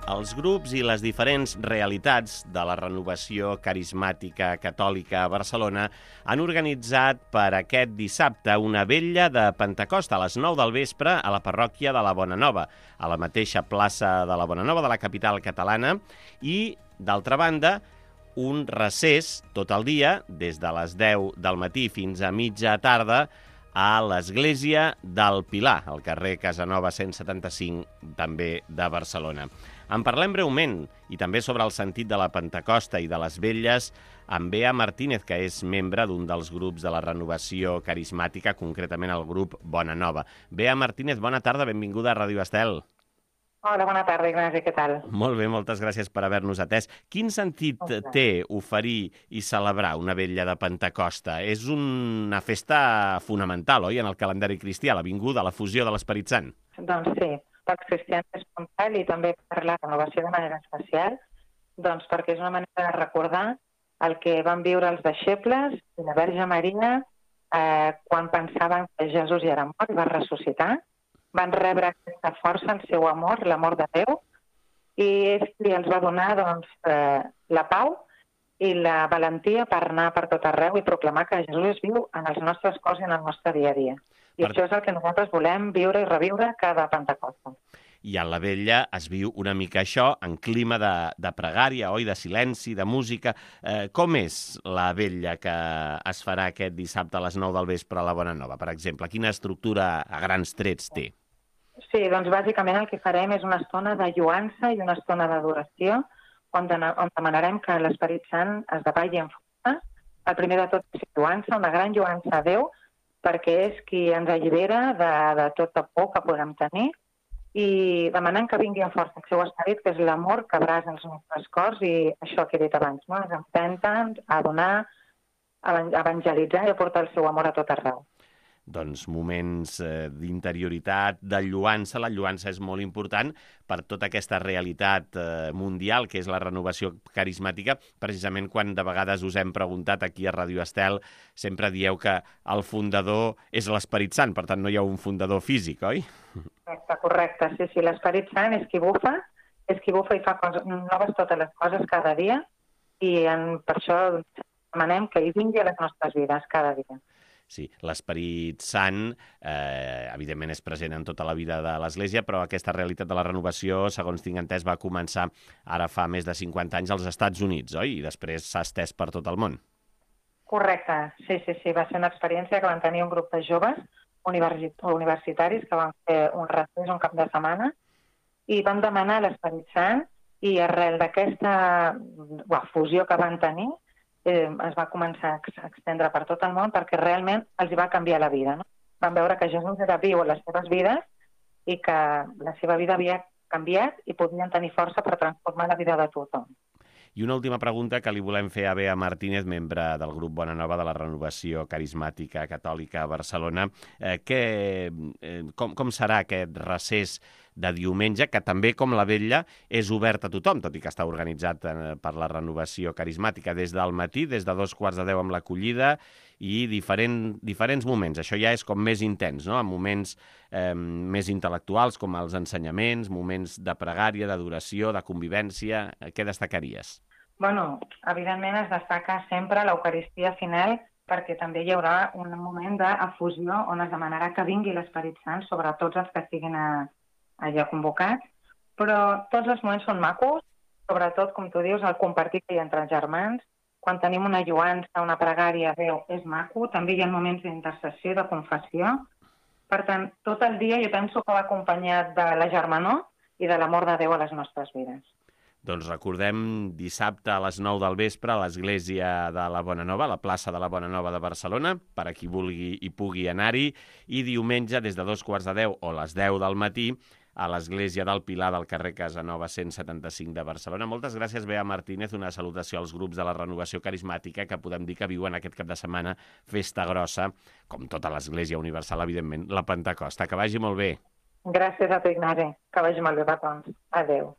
Els grups i les diferents realitats de la renovació carismàtica catòlica a Barcelona han organitzat per aquest dissabte una vetlla de Pentecost a les 9 del vespre a la parròquia de la Bonanova, a la mateixa plaça de la Bonanova de la capital catalana, i, d'altra banda, un recés tot el dia, des de les 10 del matí fins a mitja tarda, a l'Església del Pilar, al carrer Casanova 175, també de Barcelona. En parlem breument, i també sobre el sentit de la Pentecosta i de les vetlles, amb Bea Martínez, que és membre d'un dels grups de la renovació carismàtica, concretament el grup Bonanova. Bea Martínez, bona tarda, benvinguda a Ràdio Estel. Hola, bona tarda, Ignasi, què tal? Molt bé, moltes gràcies per haver-nos atès. Quin sentit té oferir i celebrar una vetlla de Pentecosta? És una festa fonamental, oi?, en el calendari cristià, la vinguda, la fusió de l'Esperit Sant. Doncs sí, pels cristians és com tal i també per la renovació de manera especial, doncs perquè és una manera de recordar el que van viure els deixebles i la Verge Maria quan pensaven que Jesús ja era mort i va ressuscitar. Van rebre aquesta força, el seu amor, l'amor de Déu, i és qui els va donar doncs, la pau i la valentia per anar per tot arreu i proclamar que Jesús és viu en els nostres cors i en el nostre dia a dia. I això és el que nosaltres volem viure i reviure cada Pentecosta. I a la vetlla es viu una mica això, en clima de pregària, oi, de silenci, de música. Com és la vetlla que es farà aquest dissabte a les 9 del vespre a la Bonanova, per exemple? Quina estructura a grans trets té? Sí, doncs bàsicament el que farem és una estona de lluança i una estona d'adoració on demanarem que l'Esperit Sant es davalli en força. El primer de tot és lluança, una gran lluança a Déu, perquè és qui ens allibera de tota por que podem tenir, i demanant que vingui a força el seu esperit, que és l'amor que abrasa els nostres cors, i això que he dit abans, no? Ens empenten a donar, a evangelitzar i a portar el seu amor a tot arreu. Doncs moments d'interioritat, de lluança. La lluança és molt important per tota aquesta realitat mundial, que és la renovació carismàtica. Precisament quan de vegades us hem preguntat aquí a Ràdio Estel, sempre dieu que el fundador és l'Esperit Sant, per tant no hi ha un fundador físic, oi? Correcte, sí, l'Esperit Sant és qui bufa i fa noves totes les coses cada dia, i per això demanem que hi vingui a les nostres vides cada dia. Sí, l'Esperit Sant, evidentment, és present en tota la vida de l'Església, però aquesta realitat de la renovació, segons tinc entès, va començar ara fa més de 50 anys als Estats Units, oi? I després s'ha estès per tot el món. Correcte, sí. Va ser una experiència que van tenir un grup de joves universitaris que van fer un recés un cap de setmana i van demanar l'Esperit Sant, i arrel d'aquesta fusió que van tenir, es va començar a extendre per tot el món perquè realment els va canviar la vida, no? Van veure que Jesús era viu a les seves vides i que la seva vida havia canviat i podien tenir força per transformar la vida de tothom. I una última pregunta que li volem fer a Bea Martínez, membre del grup Bonanova de la renovació carismàtica catòlica a Barcelona. Com serà aquest recés de diumenge, que també, com la vetlla, és obert a tothom, tot i que està organitzat per la renovació carismàtica des del matí, des de 2:45 amb l'acollida, i diferents moments. Això ja és com més intens, no? En moments més intel·lectuals, com els ensenyaments, moments de pregària, d'adoració, de convivència. Què destacaries? Bueno, evidentment es destaca sempre l'Eucaristia final, perquè també hi haurà un moment d'efusió on es demanarà que vingui l'Esperit Sant sobre tots els que estiguin allà convocats, però tots els moments són macos, sobretot, com tu dius, el compartir que hi ha entre els germans. Quan tenim una lluança, una pregària a Déu, és maco. També hi ha moments d'intercessió, de confessió. Per tant, tot el dia jo penso que va acompanyat de la germanor i de l'amor de Déu a les nostres vides. Doncs recordem, dissabte a les 9 del vespre a l'Església de la Bonanova, a la plaça de la Bonanova de Barcelona, per a qui vulgui i pugui anar-hi, i diumenge des de 2:45 o les 10 del matí a l'Església del Pilar del carrer Casanova 175 de Barcelona. Moltes gràcies, Bea Martínez. Una salutació als grups de la renovació carismàtica, que podem dir que viuen aquest cap de setmana festa grossa, com tota l'Església Universal, evidentment, la Pentecosta. Que vagi molt bé. Gràcies a tu, Ignasi. Que vagi molt bé, petons. Adéu.